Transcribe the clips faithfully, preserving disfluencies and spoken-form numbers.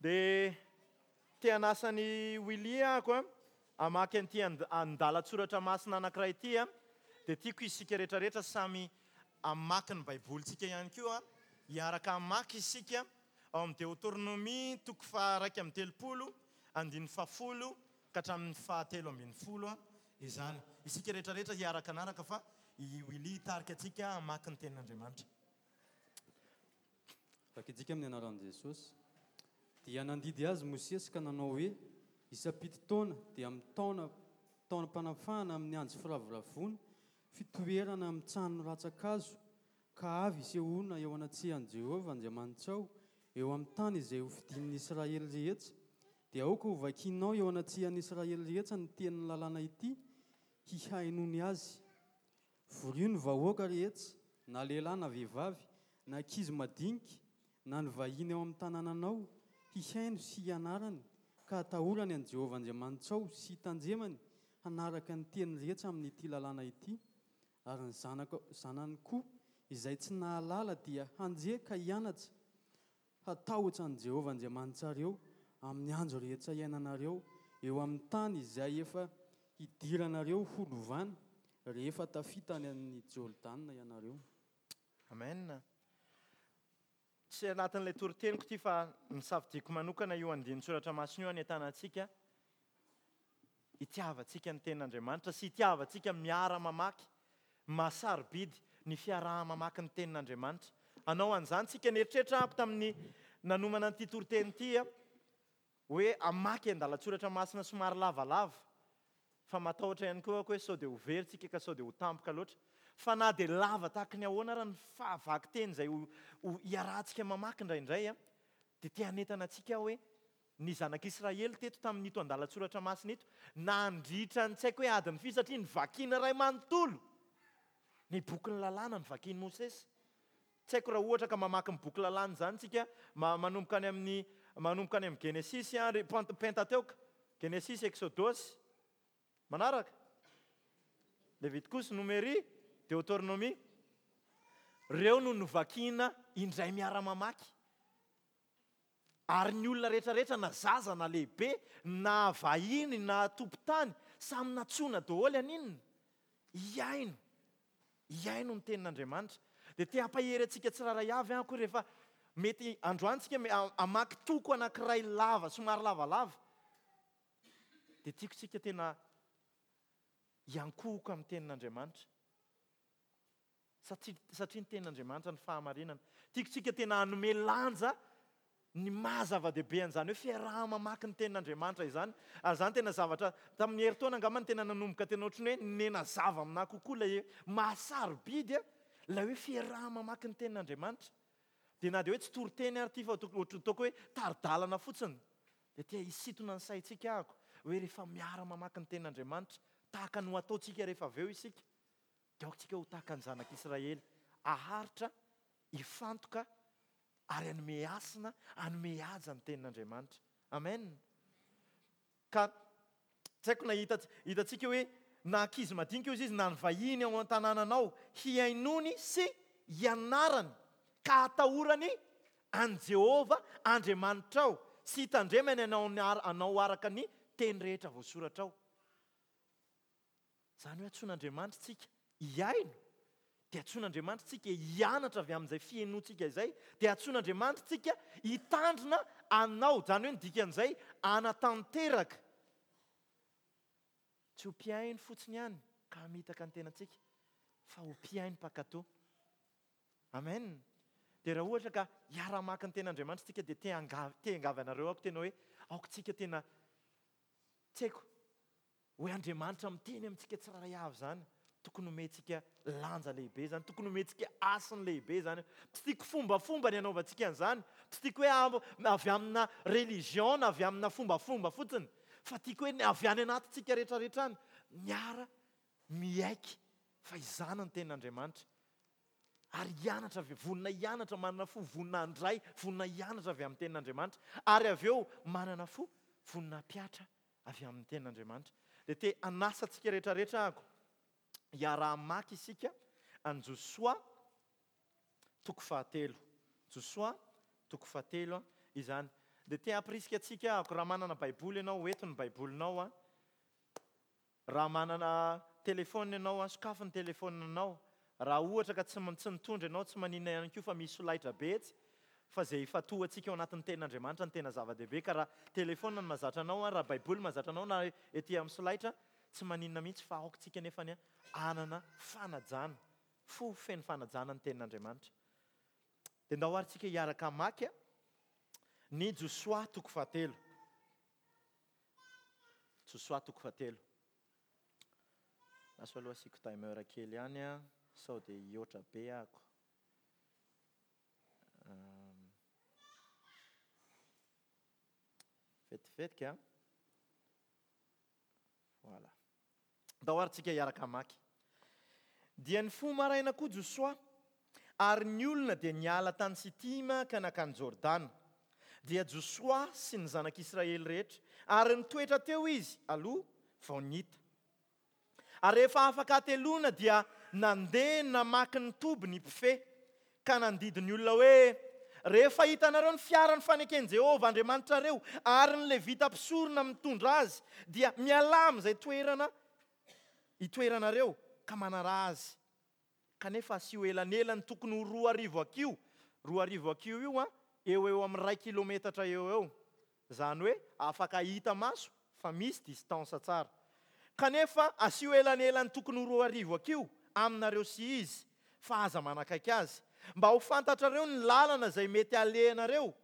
Dia te hanasa an'i Willy ahako a, hamaky an'ity andalan-tsoratra masina anankiray ity a, dia tiako isika rehetrarehetra samy hamaky ny Baibolintsika ihany koa, hiaraka hamaky isika ao amin'ny Deoteronomia toko faha-iraika amby telopolo, andininy fahafolo ka hatramin'ny fahatelo ambin'ny folo izany. Isika rehetrarehetra hiaraka hanaraka fa i Willy hitarika antsika hamaky ny tenin'Andriamanitra. Vakintsika amin'ny anaran'i Jesosy. Dia nandidy azy Mosesy ka nanao hoe, Isam-pito taona, dia amin'ny taona taonam-panafahana amin'ny andro firavoravoana, fitoerana amin'ny trano rantsan-kazo, ka avy hisehoana eo anatrehan'i Jehovah Andriamanitrao, eo amin'ny tany izay hofidin'ny Israely rehetra, dia aoka hovakinao eo anatrehan'ny Israely rehetra ny tenin'ny lalàna ity, hihainoany azy. Vorio ny vahoaka rehetra, na lehilahy na vehivavy, na ankizy madinika, na ny vahiny ao amin'ny tanànanao, hihaino sy hianarany, ka hatahorany an'i Jehovah Andriamanitrao sy hitandremany hanaraka ny teny rehetra amin'ity lalàna ity. Ary ny zanaka, zanany koa, izay tsy nahalala dia handre ka hianatra hatahotra an'i Jehovah Andriamanitrareo amin'ny andro rehetra iainanareo eo amin'ny tany izay efa hidiranareo ho lovana, rehefa tafita any amin'i Jordana ianareo. Amen. Tsy anatin'ilay toriteniko ity fa nisafidiako manokana io andinin-tsoratra masina io hanentanantsika hitiavantsika ny tenin'Andriamanitra sy hitiavantsika miara-mamaky. Mahasarobidy ny fiaraha-mamaky ny tenin'Andriamanitra. Hanao an'izany tsika. Nieritreritra aho tamin'ny nanomana an'ity toriteny ity hoe hamaky andalan-tsoratra masina somary lavalava. Fa matahotra ihany koa aho hoe sao dia ho very tsika ka sao dia ho tampoka loatra. Fa na dia lava tahaky ny ahoana ara ny fahavakiteny izay ho, ho iarahantsika mamaky indraindray, dia te hanentana antsika aho hoe ny zanak'Israely teto tamin'ito andalan-tsoratra masina ito, nandritra ny tsy haiko hoe adiny firy, satria novakiana iray manontolo ny bokin'ny lalàna novakian'i Mosesy. Tsy haiko raha ohatra ka mamaky ny boky lalàna izany tsika, ma-, manomboka any amin'ny, manomboka any amin'ny Genesisy, ary Pent-, Pentateuque, Genesisy, Eksodosy, manaraka, Levitikosy, Nomery, Deoteronomia. Ireo no novakiana indray miara-mamaky. Ary ny olona rehetrarehetra, na zaza na lehibe, na vahiny na tompon-tany, samy nantsoina daholo haninona? Hihaino. Hihaino ny tenin'Andriamanitra. Dia te hampahery antsika tsirairay avy aho koa rehefa mety androany tsika me-, a-, hamaky toko anankiray lava, somary lavalava. Dia tiako tsika tena hiankohoka amin'ny tenin'Andriamanitra. Satria, satria ny tenin'Andriamanitra ny fahamarinana. Tiako tsika tena hanome lanja ny maha zava-dehibe an'izany hoe fiaraha-mamaky ny tenin'Andriamanitra izany. Ary izany tena zavatra, tamin'ny herintaona angamba no tena nanomboka tena ohatran'ny hoe nenazava aminahy kokoa ilay hoe mahasarobidy a, ilay hoe fiaraha-mamaky ny tenin'Andriamanitra. Dia na dia hoe tsy toriteny ary ity fa toko-, ohatran'ny ataoko hoe tari-dalana fotsiny. Dia te hisintona ny saintsika ahako hoe rehefa miara-mamaky ny tenin'Andriamanitra, tahaka ny ho ataontsika rehefa avy eo isika, dia aoka tsika ho tahaka ny zanak'Israely, haharitra, hifantoka ary hanome hasina, hanome haja ny tenin'Andriamanitra. Amen. Ka tsy haiko na hita-, hitantsika hoe na ankizy madinika ozy izy, na ny vahiny ao an-tanànanao, hihainoany sy hianarany ka hatahorany an'i Jehovah Andriamanitrao sy hitandremany anao ny ar-, anao araka ny teny rehetra voasoratra ao. Izany hoe antsoin'Andriamanitra tsika hihaino, dia antsoin'Andriamanitra tsika hianatra avy amin'izay fihainoantsika izay, dia antsoin'Andriamanitra tsika hitandrina anao. Izany hoe ny dikan'izay hanatanteraka. Tsy ho mpihaino fotsiny ihany ka hamitaka ny tenantsika, fa ho mpihaino mpankatò. Amen. Dia raha ohatra ka hiara-maka ny tenin'Andriamanitra tsika, dia te hanga-, te hangavy anareo aho tena hoe aoka tsika tena tsy haiko hoe Andriamanitra miteny amintsika tsirairay avy izany. Tokony homentsika lanja lehibe izany, tokony homentsika hasiny lehibe izany. Tsy tiako fombafomba ny hanaovantsika an'izany, tsy tiako hoe am-, avy amina religion na avy amina fombafomba fotsiny, fa tiako hoe ny avy any anatintsika rehetrarehetra any miara miaiky fa izany ny tenin'Andriamanitra. Ary hianatra avy, vonona hianatra, manana fo vonona handray, vonona hianatra avy amin'ny tenin'Andriamanitra, ary avy eo manana fo vonona hampiatra avy amin'ny tenin'Andriamanitra. Dia te hanasa antsika rehetrarehetra ahako hiara-hamaky isika an'i Josoa toko fahatelo. Josoa toko fahatelo izany. Dia te hampirisika antsika aho, raha manana Baiboly ianao, hoento ny Baibolinao a. Raha manana telefôna ianao a, sokafy ny telefôninao. Raha ohatra ka tsy tsy nitondra ianao, tsy maninona ihany koa fa misy solaitra be etsy, fa izay ifantohantsika ao anatin'ny tenin'Andriamanitra no tena zava-dehibe. Ka raha telefôna no mahazatra anao, raha Baiboly mahazatra anao na ety amin'ny solaitra, tsy maninona mihitsy, fa aoka tsika nefany hanana fanajana, fo feno fanajana ny tenin'Andriamanitra. Dia ndao ary tsika hiaraka hamaky ny Josoa toko fahatelo. Josoa toko fahatelo. Lasa aloha asiako timer kely ihany a, sao dia hihoatra be ako. Vetivetiky a. Voilà. Ndao ary tsika hiaraka hamaky. Dia nifoha maraina koa Josoa, ary ny olona dia niala tany Sitima ka nankany Jordana. Dia Josoa sy ny zanak'Israely rehetra, ary nitoetra teo izy aloha vao nita. Ary rehefa afaka hateloana dia nandeha namaky ny toby ny mpifehy, ka nandidy ny olona hoe, Rehefa hitanareo ny fiaran'ny faneken'i Jehovah Andriamanitrareo ary ny Levita mpisorona mitondra azy, dia mialà amin'izay toerana itoeranareo ka manaraha azy. Kanefa asio elanelany tokony ho roa arivo hakiho, roa arivo hakiho io an, eo ho eo amin'ny iray kilometatra eo ho eo. Izany hoe afaka hita maso fa misy distance tsara. Kanefa asio elanelany tokony ho roa arivo hakiho aminareo sy izy, fa aza manakaiky azy, mba ho fantatrareo ny lalana izay mety halehanareo,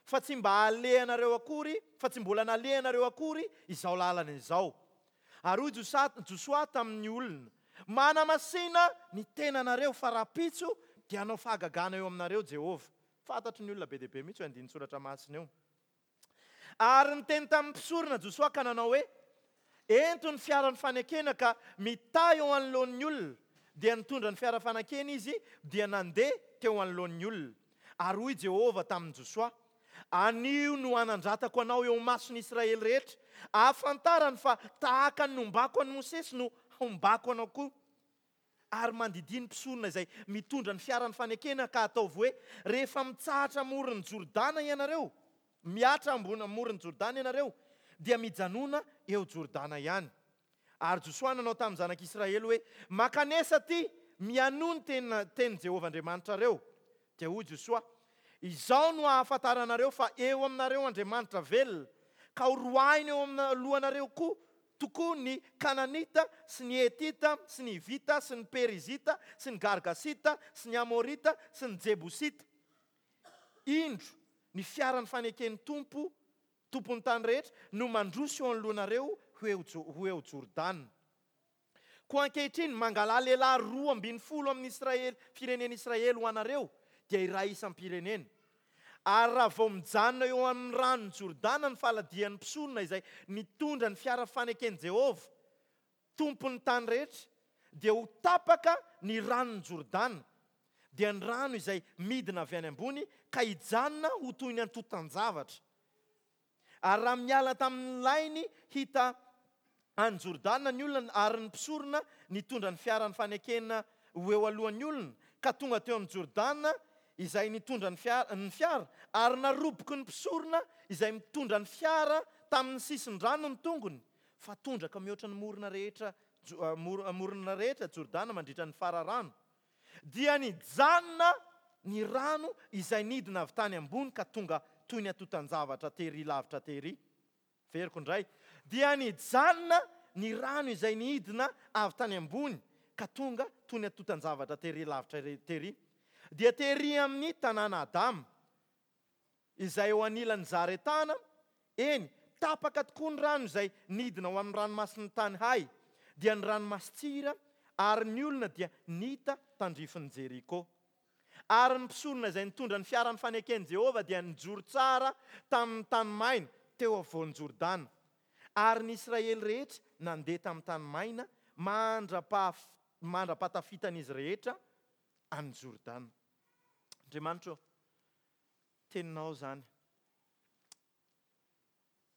fa tsy mba halehanareo akory, fa tsy mbola nalehanareo akory izao lalana izao. Ary hoy Josoa tamin'ny olona, Manamasina ny tenanareo, fa rahampitso dia hanao fahagagana eo aminareo Jehovah. Fantatry ny olona be dia be mihitsy io andinin-tsoratra masina io. Ary niteny tamin'ny mpisorona Josoa ka nanao hoe, Ento ny fiaran'ny fanekena ka mitahy eo anoloan'ny olona. Dia nitondra ny fiara fanekena izy, dia nandeha teo anoloan'ny olona. Ary hoy Jehovah tamin'i Josoa, Anio no hanandratako anao eo imason'ny Israely rehetra, ahafantarany fa tahaka ny nombako an'i Mosesy no hombako anao koa. Ary mandidia ny mpisorona izay mitondra ny fiaran'ny fanekena ka ataovy hoe, Rehefa mitsahatra amoron'i Jordana ianareo, mihatra ambony amoron'i Jordana ianareo, dia mijanona eo Jordana ihany. Ary Josoa nanao tamin'ny zanak'Israely hoe, Mankanesa aty, mihainoa ny tenin'i Jehovah Andriamanitrareo. Dia hoy Josoa, Izao no ahafantaranareo fa eo aminareo Andriamanitra velona, ka horoahiny eo amin'ny lohanareo koa tokoa ny Kananita sy ny Hetita sy ny Hivita sy ny Perizita sy ny Gargasita sy ny Amorita sy ny Jebosita. Indro, ny fiaran'ny faneken'ny Tompo, Tompon'ny tany rehetra, no mandroso eo anoloanareo ho eo Jordana. Koa ankehitriny, mangalà lehilahy roa ambin'ny folo amin'ny Israely, firenen'i Israely ho anareo, dia iray isam-pirenena. Ary raha vao mijanona eo amin'ny ranon'i Jordana ny faladian'ny mpisorona izay nitondra ny fiara faneken'i Jehovah, Tompon'ny tany rehetra, dia ho tapaka ny ranon'i Jordana, dia ny rano izay midina avy any ambony, ka hijanona ho toy ny antontan-javatra. Ary raha miala tamin'ny lainy hita any Jordana ny olona ary ny mpisorona nitondra ny fiaran'ny fanekena ho eo alohan'ny olona, ka tonga teo amin'i Jordana izay nitondra ny fiara, ny fiara, ary naroboky ny mpisorona izay mitondra ny fiara tamin'ny sisin-drano ny tongony, fa tondraka mihoatra ny morona rehetra, morona rehetra Jordana mandritra ny fararano. Dia nijanona ny rano izay nidina avy tany ambony ka tonga toy ny antontan-javatra tery lavitra tery. Veriko indray. Dia nijanona ny rano izay nidina avy tany ambony ka tonga toy ny antontan-javatra tery lavitra tery. Dia tery amin'ny tanàna Adama, izay eo anilan'i Zaretana, eny, tapaka tokoa ny rano izay nidina ho amin'ny ranomasin'ny tany Hay, dia ny ranomasin-tsira, ary ny olona dia nita tandrifin'i Jeriko. Ary ny mpisorona izay nitondra ny fiaran'ny faneken'i Jehovah dia nijoro tsara tamin'ny tany maina teo afovoan'i Jordana. Ary ny Israely rehetra nandeha tamin'ny tany maina mandra-pahatafitan'izy rehetra an'i Jordana. Andriamanitra ô, teninao izany.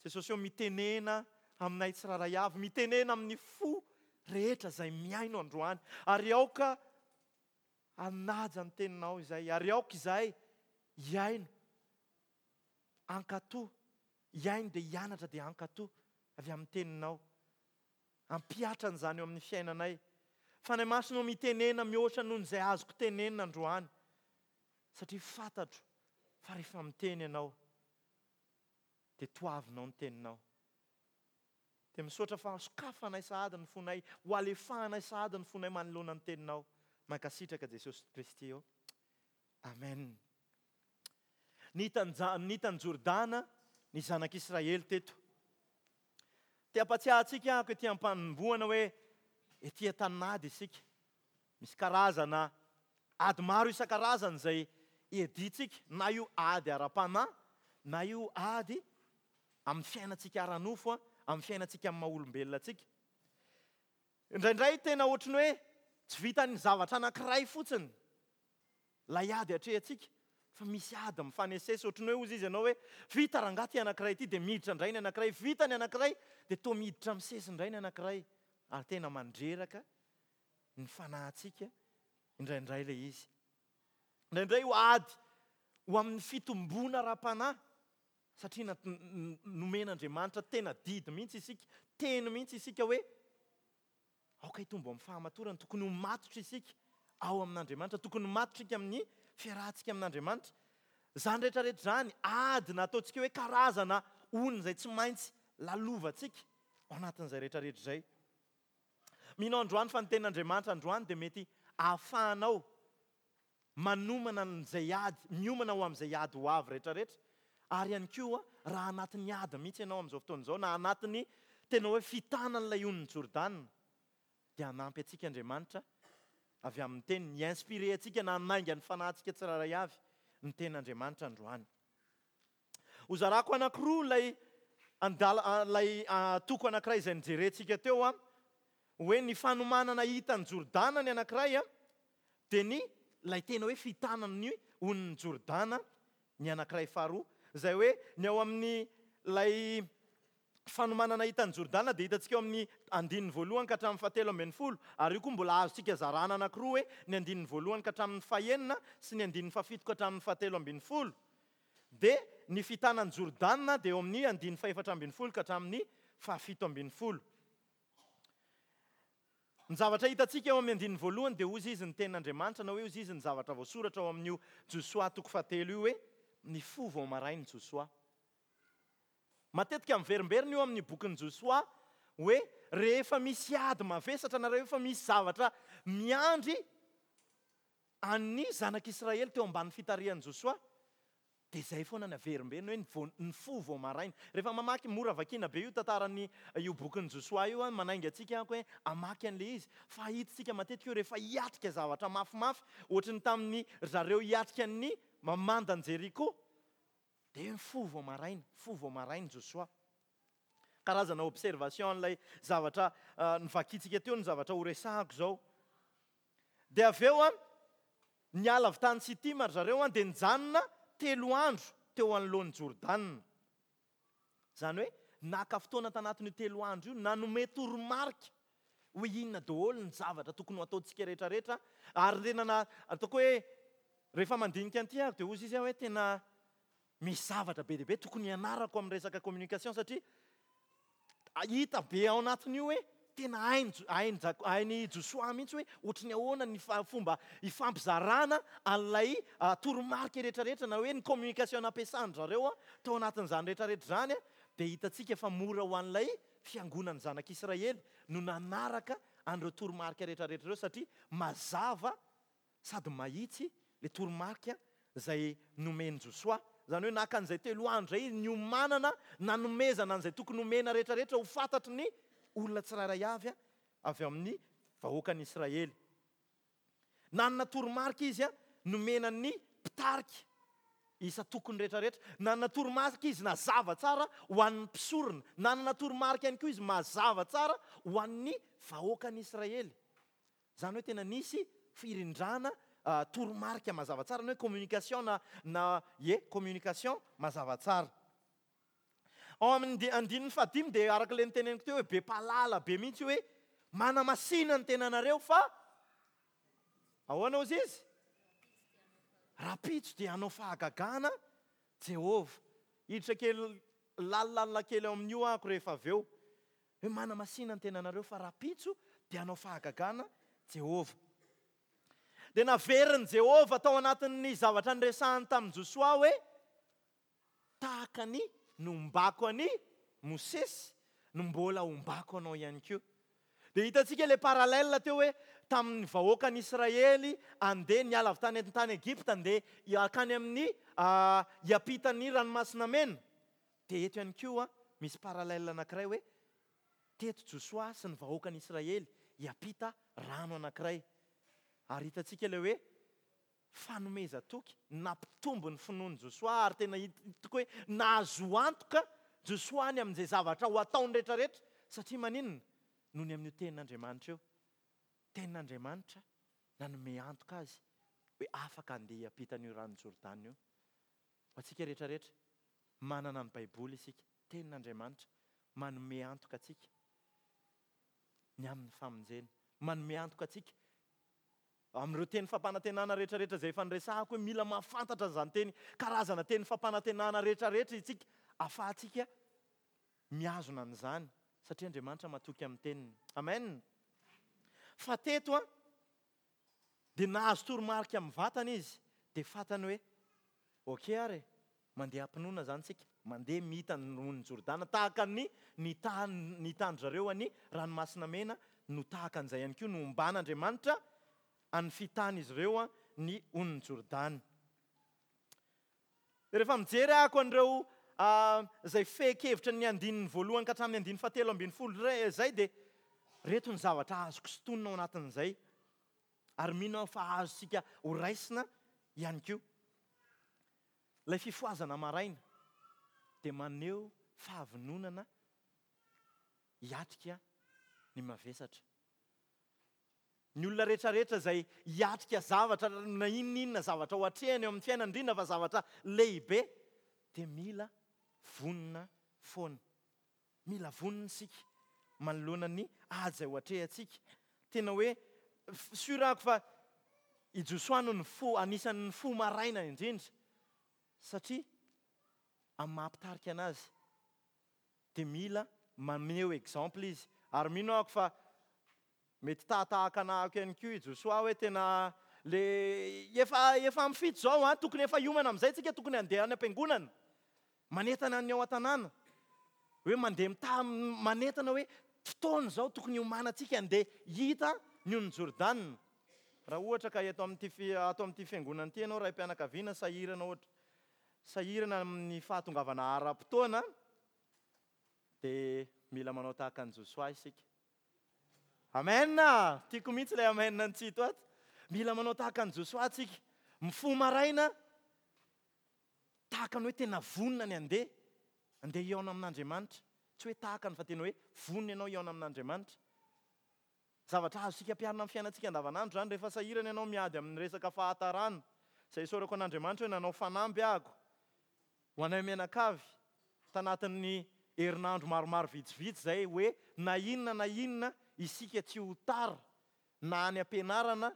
Jesosy ô, mitenena aminay tsirairay avy, mitenena amin'ny fo rehetra izay mihaino androany. Ary aoka hanaja ny teninao izay, ary aoka izay hihaino, hankatò Hihaino dia hianatra dia hankatò avy amin'ny teninao. Hampihatra an'izany eo amin'ny fiainanay. Fanahy Masina ô, mitenena mihoatra noho izay azoko tenenina androany, satria fantatro fa rehefa miteny ianao dia toavinao ny teninao. Dia misaotra fa sokafanay sahady ny fonay, ho alefahanay sahady ny fonay manoloana ny teninao. Mankasitraka Jesosy Kristy ô. Amen. Nita ny Jordana ny zanak'Israely teto. Te hampatsiahy antsika aho ety am-panombohana hoe ety an-tanin'ady isika. Misy karazana ady maro isan-karazany izay iadiantsika, na io ady ara-panahy, na io ady amin'ny fiainantsika ara-nofo, amin'ny fiainantsika amin'ny maha-olombelona antsika. Indraindray tena ohatry ny hoe tsy vitan'ny zavatra anankiray fotsiny ilay ady atrehantsika, fa misy ady mifanesesy. Ohatry ny hoe hozy izy ianao hoe vita rangahy ity anankiray ity, dia miditra indray ny anankiray, vita ny anankiray, dia toa miditra misesy indray ny anankiray. Ary tena mandreraka ny fanahintsika indraindray ilay izy. Indraindray io ady ho amin'ny fitomboana ara-panahy, satria nomen'Andriamanitra tena didy mihitsy isika, teny mihitsy isika hoe aoka hitombo amin'ny fahamatorana, tokony ho matotra isika ao amin'Andriamanitra, tokony ho matotra isika amin'ny fiarahantsika amin'Andriamanitra. Izany rehetra rehetra izany, ady nataontsika hoe karazana ony izay tsy maintsy lalovantsika ao anatin'izay rehetra rehetra izay. Mino androany fa ny tenin'Andriamanitra androany dia mety ahafahanao manomana an'izay ady, miomana ho amin'izay ady ho avy rehetra rehetra. Ary ihany koa raha anatin'ny ady mihitsy ianao amin'izao fotoana izao, na anatin'ny tena hoe fitanan'ilay onin'i Jordana, dia hanampy antsika Andriamanitra avy amin'ny teniny, hi-inspirer antsika na hanainga ny fanahintsika tsirairay avy ny tenin'Andriamanitra androany. Hozarako anankiroa ilay andala, ilay toko anankiray izay nijerentsika teo, hoe ny fanomanana hitan'i Jordana ny anankiray, dia ny ilay tena hoe fitanan'ny onin'i Jordana ny anankiray faharoa. Izay hoe ny ao amin'ny ilay fanomanana hitan'i Jordana dia hitantsika eo amin'ny andininy voalohany ka hatramin'ny fahatelo ambin'ny folo, ary io koa mbola azontsika zarana anankiroa hoe ny andininy voalohany ka hatramin'ny fahenina sy ny andininy fahafito ka hatramin'ny fahatelo ambin'ny folo. Dia ny fitanan'i Jordana dia eo amin'ny andininy fahefatra ambin'ny folo ka hatramin'ny fahafito ambin'ny folo. Ny zavatra hitantsika eo amin'ny andininy voalohany dia hozy izy ny tenin'Andriamanitra, na hoe hozy izy ny zavatra voasoratra ao amin'io Josoa toko fahatelo io hoe nifoha vao maraina Josoa. Matetika miverimberina io amin'ny bokin'i Josoa hoe rehefa misy ady mavesatra na rehefa misy zavatra miandry an'ny zanak'Israely teo ambanin'ny fitarihan'i Josoa, dia izay foana ny averimberina hoe nifoha vao maraina. Rehefa mamaky, mora vakiana be io tantaran'ny io bokin'i Josoa io, manainga antsika aho hoe hamaky an'ilay izy. Fa hitantsika matetika io rehefa hiatrika zavatra mafimafy, ohatry ny tamin'ny ry zareo hiatrika ny mamandan'i Jeriko, dia nifoha vao maraina, nifoha vao maraina Josoa. Karazana observation an'ilay zavatra novakintsika teo ny zavatra horesahako izao. Dia avy eo an, niala avy tany Sitima ry zareo an, dia nijanona telo andro teo anoloan'i Jordana. Izany hoe naka fotoana tanatin'io telo andro io, nanome toromarika hoe inona daholo ny zavatra tokony ho ataontsika rehetra rehetra. Ary tena na, ataoko hoe rehefa mandinika an'ity aho dia hozy izy aho hoe tena misy zavatra be dia be tokony hianarako amin'ny resaka communication, satria hita be ao anatin'io hoe tena hain'i Jo-, hain'i Jak-, hain'i Josoa mihitsy hoe ohatry ny ahoana ny fa-, fomba ifampizarana an'ilay toromarika rehetrarehetra, na hoe ny communication nampiasan-dry zareo tao anatin'izany rehetrarehetra izany, dia hitantsika fa mora ho an'ilay fiangonan'ny zanak'Israely no nanaraka an'ireo toromarika rehetrarehetra ireo, satria mazava sady mahitsy ilay toromarika izay nomen'i Josoa. Izany hoe naka an'izay telo andro izay niomanana, nanomezana an'izay tokony homena rehetrarehetra ho fantatry ny olona tsirairay avy avy amin'ny vahoakan'Israely. Nanana toromarika izy nomena ny mpitarika isan-tokony rehetrarehetra. Nanana toromarika izy nazava tsara ho an'ny mpisorona. Nanana toromarika ihany koa izy mazava tsara ho an'ny vahoakan'Israely. Izany hoe tena nisy firindrana toromarika mazava tsara, ny hoe communication na, na ie, communication mazava tsara. Ao amin'ny andi-, andininy fahadimy dia araka ilay niteneniko teo hoe be mpahalala be mihitsy hoe manamasina ny tenanareo fa ahoana hozy izy? Rahampitso dia hanao fahagagana Jehovah. Hiditra kely Lalilalina kely ao amin'io ahako rehefa avy eo. Hoe manamasina ny tenanareo fa rahampitso dia hanao fahagagana Jehovah. Dia naverin'i Jehovah tao anatin'ny zavatra niresahany tamin'i Josoa hoe tahaka ny nombako an'i Mosesy no mbola hombako anao ihany koa. Dia hitantsika ilay parallèle teo hoe tamin'ny vahoakan'Israely andeha niala avy tany tany Egypta andeha hankany amin'ny hiampitan'ny ranomasina mena. Dia eto ihany koa misy parallèle anankiray hoe teto Josoa sy ny vahoakan'Israely hiampita rano anankiray. Ary hitantsika ilay hoe fanomezan-toky nampitombo ny finoan'i Josoa ary tena hitako hoe nahazo antoka Josoa ny amin'izay zavatra ho ataony rehetrarehetra satria maninona? Noho ny amin'io tenin'Andriamanitra io. Tenin'Andriamanitra nanome antoka azy hoe afaka handeha hiampita an'io ranon'i Jordana io. Ho antsika rehetrarehetra, manana ny Baiboly isika, tenin'Andriamanitra manome antoka antsika ny amin'ny famonjena, manome antoka antsika amin'ireo teny fampanantenana rehetrarehetra izay efa niresahako hoe mila mahafantatra an'izany teny, karazana teny fampanantenana rehetrarehetra isika, ahafahantsika mihazona an'izany satria Andriamanitra matoky amin'ny teniny. Amen. Fa teto a dia nahazo toromarika amin'ny vatana izy, dia fantany hoe ok ary mandeha am-pinoana izany tsika, mandeha mita ny onin'i Jordana tahaka ny nitandry zareo any ranomasina mena no tahaka an'izay ihany koa no omban'Andriamanitra an'ny fitan'izy ireo ny onin'i Jordana. Rehefa mijery ahako an'ireo izay fehin-kevitra ny andininy voalohany ka hatramin'ny andininy fahatelo ambin'ny folo izay dia reto ny zavatra azoko sintonina ao anatin'izay ary mino aho fa azontsika ho raisina ihany koa. Ilay fifohazana maraina dia maneho fahavononana hiatrika ny mavesatra. Ny olona rehetrarehetra izay hiatrika zavatra na inona inona zavatra ho atrehany eo amin'ny fiainana, indrindra fa zavatra lehibe, dia mila vonona foana. Mila vonona isika manoloana ny ady izay ho atrehantsika. Tena hoe sûr ako fa i Josoa no nifoha, anisan'ny nifoha maraina indrindra satria amin'ny maha mpitarika anazy dia mila maneho exemple izy. Ary mino ako fa mety tahatahaka anahako ihany koa i Josoa hoe tena le efa efa amin'ny fito izao a, tokony efa hiomana amin'izay tsika, tokony handeha any am-piangonana. Manentana ny ao an-tanàna. Hoe mandeha mitaha manentana hoe fotoana izao tokony hiomanantsika handeha hita ny onin'i Jordana. Raha ohatra ka eto amin'ity ato amin'ity fiangonana ity ianao raim-pianakaviana sahirana ohatra sahirana amin'ny fahatongavana ara-potoana dia mila manao tahaka an'i Josoa isika. Amen! Tiako mihitsy ilay amen ny tsito ato. Mila manao tahaka an'i Josoa tsika. Mifoha maraina tahaka ny hoe tena vonona ny handeha, handeha hihaona amin'Andriamanitra. Tsy hoe tahaka ny fa tena hoe vonona ianao hihaona amin'Andriamanitra. Zavatra azontsika ampiharina amin'ny fiainantsika andavanandro izany rehefa sahirana ianao miady amin'ny resaka fahatarana. Izay isaorako an'Andriamanitra hoe nanao fanamby ahako ho anay mianakavy tanatin'ny herinandro maromaro vitsivitsy izay hoe na inona na inona isika tsy ho tara na any am-pianarana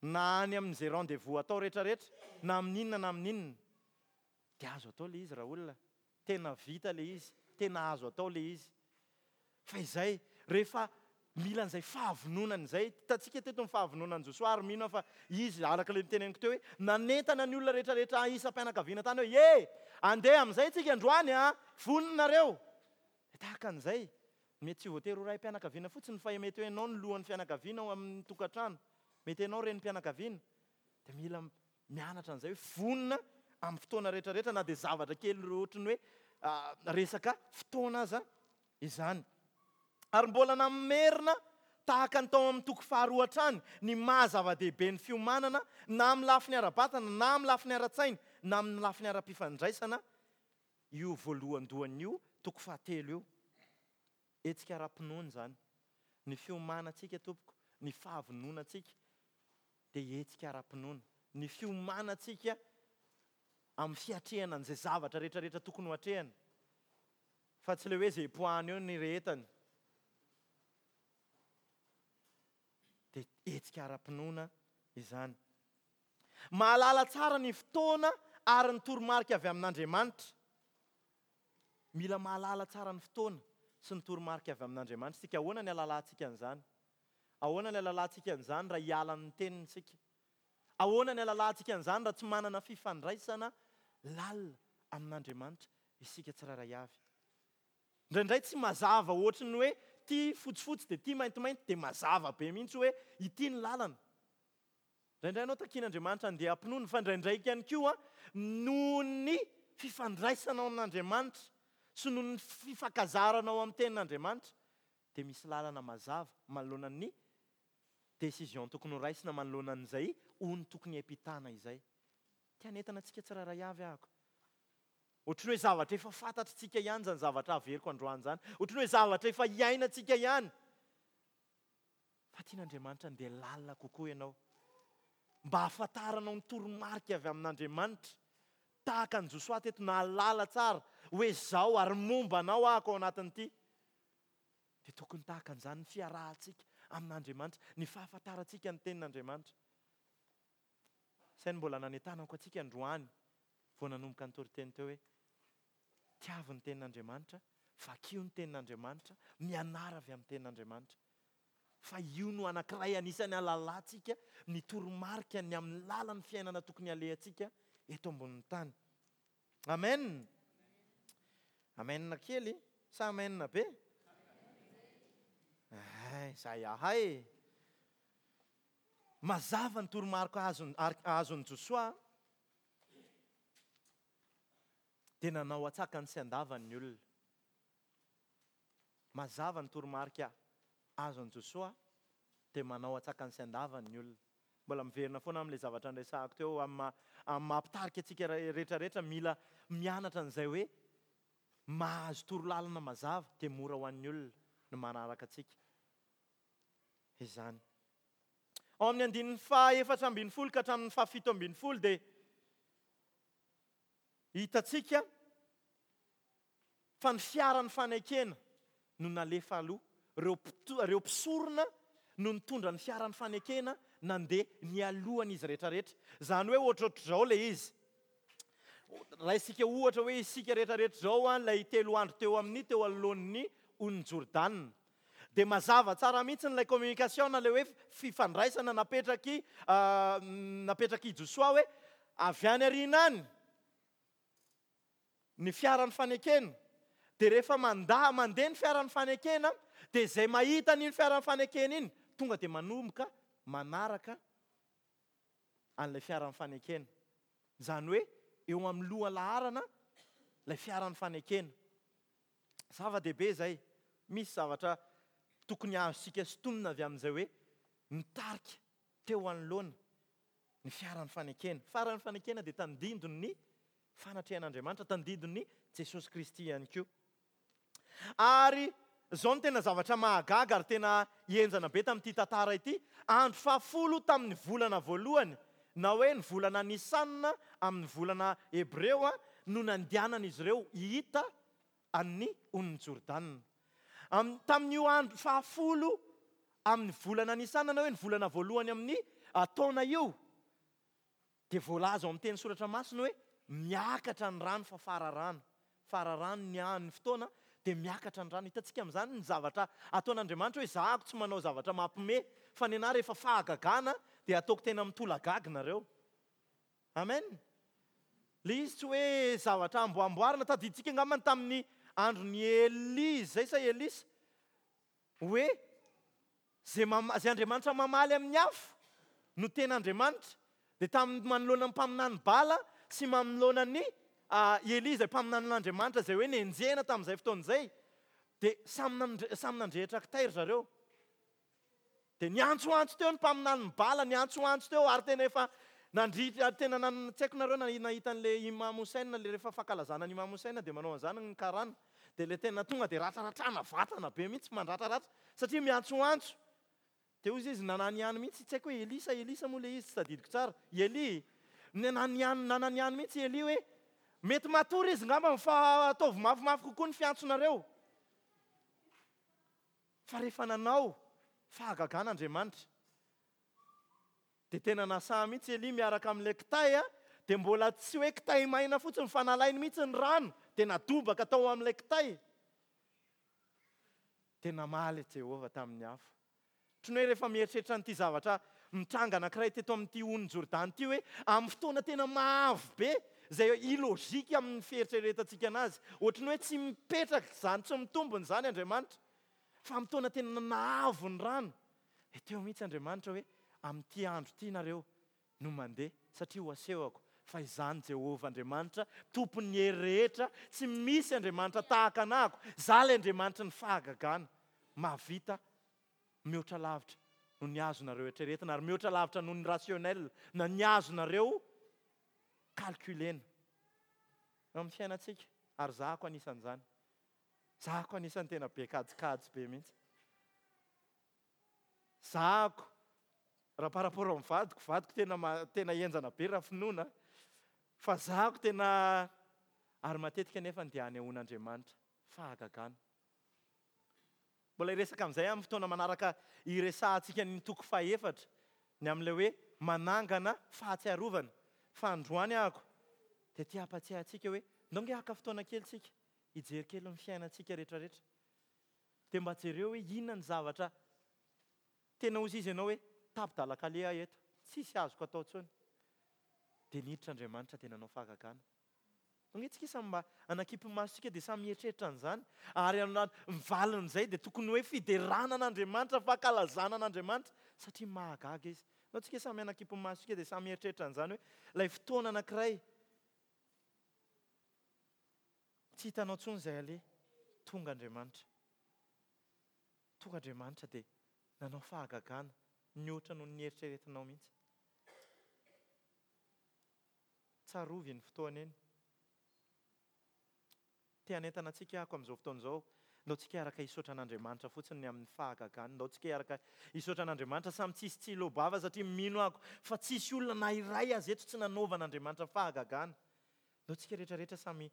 na any amin'izay rendez-vous atao rehetrarehetra na amin'inona na amin'inona. Dia azo atao ilay izy raha olona, tena vita ilay izy, tena azo atao ilay izy. Fa izay rehefa mila an'izay fahavononana izay, hitantsika teto ny fahavononan'i Josoa ary mino aho fa izy araka ilay niteneniko teo hoe nanentana ny olona rehetrarehetra isam-pianakaviana tany hoe e, andeha amin'izay tsika androany a, vonona nareo. Dia tahaka an'izay, mety tsy voatery ho raim-pianakaviana fotsiny fa mety hoe ianao ny lohan'ny fianakaviana ao amin'ny tokantrano, mety ianao renim-pianakaviana. Dia mila mianatra an'izay hoe vonona amin'ny fotoana rehetrarehetra na dia zavatra kely ohatran'ny hoe resaka fotoana aza izany. Ary mbola namerina tahaka ny tao amin'ny toko faharoa hatrany ny maha zava-dehibe ny fiomanana na amin'ny lafiny ara-batana na amin'ny lafiny ara-tsaina na amin'ny lafiny ara-pifandraisana io voalohandohany io toko fahatelo io. Hetsika ara-pinoana izany. Ny fiomanantsika tompoko, ny fahavononantsika dia hetsika ara-pinoana. Ny fiomanantsika amin'ny fiatrehana an'izay zavatra rehetrarehetra tokony ho atrehana. Fa tsy ilay hoe izay hipoahana eo ny rehetany. Dia hetsika ara-pinoana izany. Mahalala tsara ny fotoana ary ny toromarika avy amin'Andriamanitra. Mila mahalala tsara ny fotoana sy ny toromarika avy amin'Andriamanitra isika. Ahoana ny ahalalantsika an'izany? Ahoana ny ahalalantsika an'izany raha hiala ny teniny isika? Ahoana ny ahalalantsika an'izany raha tsy manana fifandraisana lalina amin'Andriamanitra isika tsirairay avy? Indraindray tsy mazava ohatry ny hoe ity fotsifotsy dia ity maintimainty dia mazava be mihitsy hoe ity ny lalana. Indraindray ianao takian'Andriamanitra handeha am-pinoana, fa indraindray ihany koa noho ny fifandraisanao amin'Andriamanitra sy noho ny fifankazaranao amin'ny tenin'Andriamanitra dia misy lalana mazava manoloana ny décision tokony ho raisina manoloana an'izay ony tokony hiampitana izay. Te hanentana antsika tsirairay avy ahako. Ohatry ny hoe zavatra efa fantatritsika ihany izany zavatra averiko androany izany. Ohatry ny hoe zavatra efa iainantsika ihany. Fa tian'Andriamanitra handeha lalina kokoa ianao. Mba hahafantaranao ny toromarika avy amin'Andriamanitra. Tahaka an'i Josoa teto nahalala tsara hoe izao ary momba anao ahako ao anatin'ity. Dia tokony tahaka an'izany ny fiarahantsika amin'Andriamanitra, ny fahafantarantsika ny tenin'Andriamanitra. Izay no mbola nanentanako antsika androany vao nanomboka ny toriteny teo hoe tiavo ny tenin'Andriamanitra, vakio ny tenin'Andriamanitra, mianara avy amin'ny tenin'Andriamanitra. Fa io no anankiray anisan'ny ahalalantsika ny toromarika ny amin'ny lalan'ny fiainana tokony halehantsika eto ambonin'ny tany. Amen. Amen kely sa amen be? Ay, zay ahay. Mazava ny toromarika azon-, azon'i Josoa dia nanao antsakany sy andavany ny olona. Mazava ny toromarika azon'i Josoa dia manao antsakany sy andavany ny olona. Mbola miverina foana amin'ilay zavatra niresahako teo amin'ny maha, amin'ny maha mpitarika antsika rehetrarehetra, mila mianatra an'izay hoe mahazo torolalana mazava dia mora ho an'ny olona ny manaraka antsika izany. Ao amin'ny andininy faha efatra ambin'ny folo ka hatramin'ny fahafito ambin'ny folo dia hitantsika fa ny fiaran'ny fanekena no nalefa aloha. Ireo mpito-, ireo mpisorona no nitondra ny fiaran'ny fanekena nandeha nialohan'izy rehetrarehetra. Izany hoe ohatrohatr'izao ilay izy. Raisika ohatra hoe isika rehetrarehetra izao an, ilay telo andro teo amin'ny teo anoloan'ny onin'i Jordana. Dia mazava tsara mihitsy ilay communication, ilay hoe fifandraisana napetraky, ah, napetraky Josoa hoe avy any aoriana any ny fiaran'ny fanekena. Dia rehefa manda-, mandeha ny fiaran'ny fanekena, dia izay mahita an'iny fiaran'ny fanekena iny tonga dia manomboka manaraka an'ilay fiaran'ny fanekena. Izany hoe eo amin'ny loha laharana ilay fiaran'ny fanekena. Zava-dehibe izay. Misy zavatra tokony azontsika sintomina avy amin'izay hoe nitarika teo anoloana ny fiaran'ny fanekena. Fiaran'ny fanekena dia tandindon'ny fanatrehan'Andriamanitra, tandindon'ny Jesosy Kristy ihany koa. Ary izao no tena zavatra mahagaga ary tena henjana be tamin'ity tantara ity. Andro fahafolo tamin'ny volana voalohany, na hoe ny volana Nisanina amin'ny volana Hebreo no nandehanan'izy ireo hita an'ny onin'i Jordana. Am-, tamin'io andro fahafolo amin'ny volana Nisanina, na hoe ny volana voalohany amin'ny taona io, dia voalaza ao amin'ny teny soratra masina hoe miakatra ny rano fa fararano. Fararano ny an'ny fotoana dia miakatra ny rano. Hitantsika amin'izany ny zavatra ataon'Andriamanitra hoe zahako tsy manao zavatra mampime, fa ny anahy rehefa fahagagana dia ataoko tena mitolagaga nareo. Amen. Le izy tsy hoe zavatra amboamboarina. Tadidintsika angambany tamin'ny andron'i Elia izay sa Elisa hoe zay mama-, zay Andriamanitra mamaly amin'ny afo no tena Andriamanitra. Dia tamin'ny manoloana ny mpaminany Bala sy manoloana ny, ah, Elia izay mpaminanin'Andriamanitra izay hoe nenjehina tamin'izay fotoana izay, dia samy nandre-, samy nandrehitra kitay ry zareo. Dia niantsoantso teo ny mpaminanin'i Bala, niantsoantso teo ary tena efa nandritra, ary tena nan-, tsy haiko nareo na nahita an'ilay Imam Hussein, ilay rehefa fankalazana ny Imam Hussein dia manao an'izany ny karana. Dia ilay tena tonga dia ratraratrana vatana be mihitsy, mandratraratra satria miantsoantso. Dia hoy izy nananiany mihitsy, tsy haiko hoe Elisa, Elisa moa ilay izy, tsy tadidiko tsara. Elia, nananiany, nananiany mihitsy Elia hoe mety matory izy ngamba fa ataovy mafimafy kokoa ny fiantsonareo. Fa rehefa nanao fahagagana Andriamanitra, dia tena nasaha mihitsy Elia miaraka amin'ilay kitay, a, dia mbola tsy hoe kitay maina fotsiny fa nalainy mihitsy ny rano, Dia nadobaka tao amin'ilay kitay. Dia namaly Jehovah tamin'ny afo. Ohatran'ny hoe rehefa mieritreritra an'ity zavatra mitranga anankiray teto amin'ity onin'i Jordany ity hoe amin'ny fotoana tena mahavo be izay illogique amin'ny fieritreretantsika anazy. Ohatran'ny hoe tsy mipetraka izany, tsy mitombina izany Andriamanitra. Fa amin'ny fotoana tena nahavo ny rano, dia teo mihitsy Andriamanitra hoe amin'ity andro ity nareo no mandeha satria ho asehoko fa izany Jehovah Andriamanitra, tompon'ny hery rehetra, tsy misy Andriamanitra tahaka anahako. Izaho ilay Andriamanitry ny fahagagana, mahavita mihoatra lavitra noho ny azonareo eritreretina ary mihoatra lavitra noho ny rationnel na ny azonareo calculena. Eo amin'ny fiainantsika, ary zahako anisan'izany. Zahako anisan'ny tena be kajikajy be mihitsy. Zahako, raha par rapport amin'ny vadiko, vadiko tena ma-, tena henjana be raha finoana, fa zahako tena, ary matetika nefa dia anehoan'Andriamanitra fahagagana. Mbola hiresaka amin'izay amin'ny fotoana manaraka hiresahantsika ny toko fahefatra, ny amin'ilay hoe manangana fahatsiarovana. Fa androany ahako dia te hampatsiahy antsika hoe ndao nge haka fotoana kely tsika hijery kely ny fiainantsika rehetrarehetra. Dia mba jereo hoe inona ny zavatra tena hozy izy ianao hoe tapi-dalan-kaleha aho eto, tsisy azoko atao intsony. Dia niditra Andriamanitra dia nanao fahagagana. Ndao nge tsika samy mba anakimpy masontsika dia samy mieritreritra an'izany. Ary ana-, ny valin'izay dia tokony hoe fiderana an'Andriamanitra, fankalazana an'Andriamanitra, satria mahagaga izy. Ndao tsika samy anakimpy masontsika dia samy mieritreritra an'izany hoe ilay fotoana anankiray tsy hitanao intsony izay aleha, tonga Andriamanitra. Tonga Andriamanitra dia nanao fahagagana nihoatra noho ny nieritreretinao mihitsy. Tsarovy iny fotoana iny. Te hanentana antsika ako amin'izao fotoana izao. Ndao tsika hiaraka hisaotra an'Andriamanitra fotsiny ny amin'ny fahagagany. Ndao tsika hiaraka hisaotra an'Andriamanitra samy tsisy tsy hilobava satria mino ako fa tsisy olona na iray aza eto tsy nanaovan'Andriamanitra fahagagana. Ndao tsika rehetrarehetra samy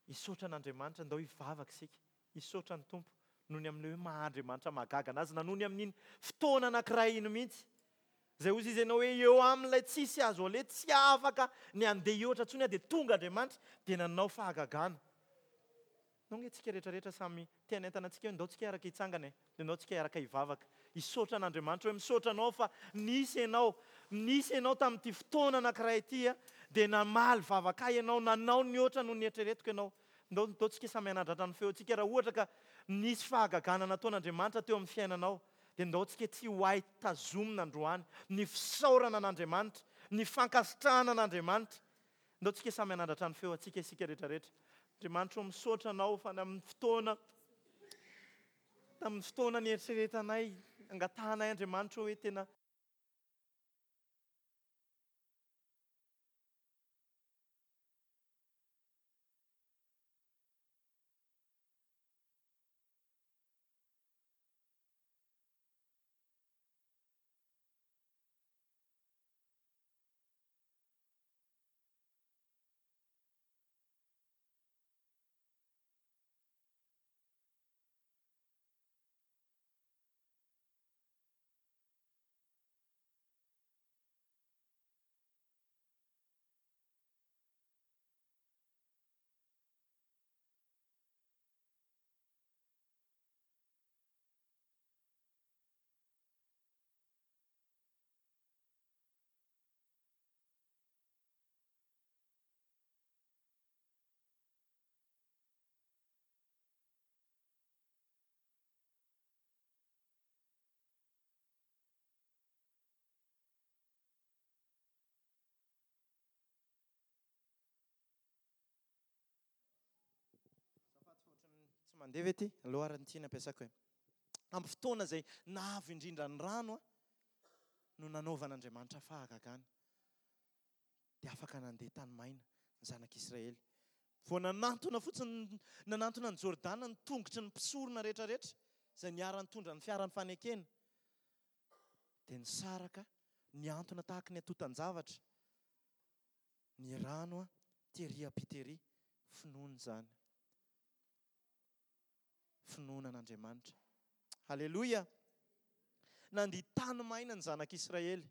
hisaotra an'Andriamanitra, ndao hivavaka isika, hisaotra ny Tompo noho ny amin'ilay hoe maha Andriamanitra mahagaga anazy na noho ny amin'iny fotoana anankiray iny mihitsy. Izay hozy izy ianao hoe eo amin'ilay tsisy azo aleha, tsy afaka ny handeha hihoatra intsony aho, dia tonga Andriamanitra dia nanao fahagagana. Ndao nge tsika rehetrarehetra samy te hanentana antsika hoe ndao tsika hiaraka hitsangana e, dia ndao tsika hiaraka hivavaka. Hisaotra an'Andriamanitra hoe misaotra anao fa nisy ianao, nisy ianao tamin'ity fotoana anankiray ity a, dia namaly vavaka ahy ianao, nanao ny oatra noho ny eritreretiko ianao. Ndao, ndao tsika samy hanandratra ny feontsika raha ohatra ka nisy fahagagana nataon'Andriamanitra teo amin'ny fiainanao, dia ndao tsika tsy ho hay tazomina androany ny fisaorana an'Andriamanitra, ny fankasitrahana an'Andriamanitra. Ndao tsika samy hanandratra ny feontsika isika rehetrarehetra. Andriamanitra, misaotra anao fa amin'ny fotoana, tamin'ny fotoana nieritreretanay, angatahanay Andriamanitra hoe tena Tsy mandeha ve ity? Aleo ary ny tiana ampiasako e. Amin'ny fotoana izay nahavy indrindra ny rano a, no nanaovan'Andriamanitra fahagagana. Dia afaka nandeha tany maina ny zanak'Israely. Vao nanantona fotsiny, nanantona ny Jordana ny tongotry ny mpisorona rehetrarehetra izay niara-nitondra ny fiaran'ny fanekena. Dia nisaraka, niantona tahaka ny antontan-javatra ny rano a, tery ampitery, finoana izany. Finoana an'Andriamanitra. Haleloia! Nandia tany maina ny zanak'Israely.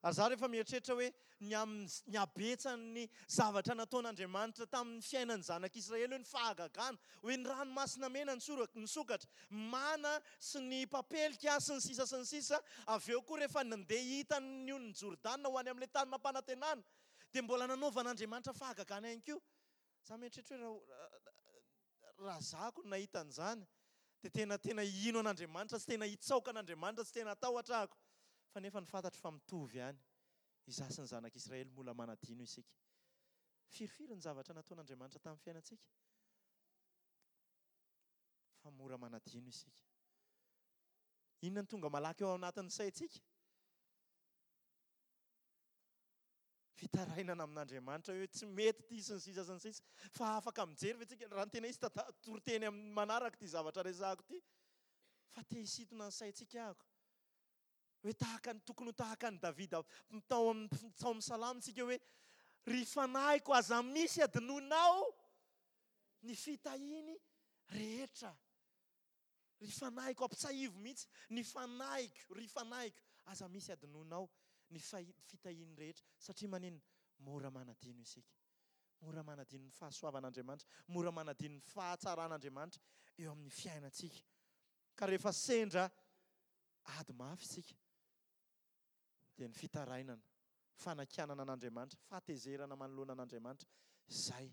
Ary za rehefa mieritreritra hoe ny amin'ny ny habetsan'ny zavatra nataon'Andriamanitra tamin'ny fiainan'ny zanak'Israely, hoe ny fahagagana, hoe ny ranomasina mena nisokatra, mana sy ny papelika sy ny sisa sy ny sisa, avy eo koa rehefa nandeha hitan'ny onin'i Jordana ho any amin'ilay tany nampanantenana, dia mbola nanaovan'Andriamanitra fahagagana ihany koa. Za mieritreritra hoe raha raha zako no nahita an'izany, dia tena tena hino an'Andriamanitra sy tena hitsaoka an'Andriamanitra sy tena hatahotra ahako. Fa nefa ny fantatro fa mitovy ihany, izaho sy ny zanak'Israely mbola manadino isika. Firifiry ny zavatra nataon'Andriamanitra tamin'ny fiainantsika? Fa mora manadino isika. Inona no tonga malaky eo anatin'ny saintsika? Fitarainana amin'Andriamanitra hoe tsy mety ity sy ny sisa sy ny sisa. Fa afaka mijery ve tsika? Raha ny tena izy tata-, toriteny amin'ny manaraka ity zavatra resahako ity. Fa te hisintona ny saintsika ahako. Hoe tahaka ny, tokony ho tahaka an'i Davida tao amin'ny, tao amin'ny salamo tsika hoe ry fanahiko aza misy adinoinao ny fitahiany rehetra. Ry fanahiko, ampitsahivo mihitsy ny fanahiko, ry fanahiko aza misy adinoinao ny fahi-, fitahiany rehetra. Satria maninona? Mora manadino isika. Mora manadino ny fahasoavan'Andriamanitra, mora manadino ny fahatsaran'Andriamanitra eo amin'ny fiainantsika. Ka rehefa sendra ady mafy isika, dia ny fitarainana, fanakianana an'Andriamanitra, fahatezerana manoloana an'Andriamanitra, izay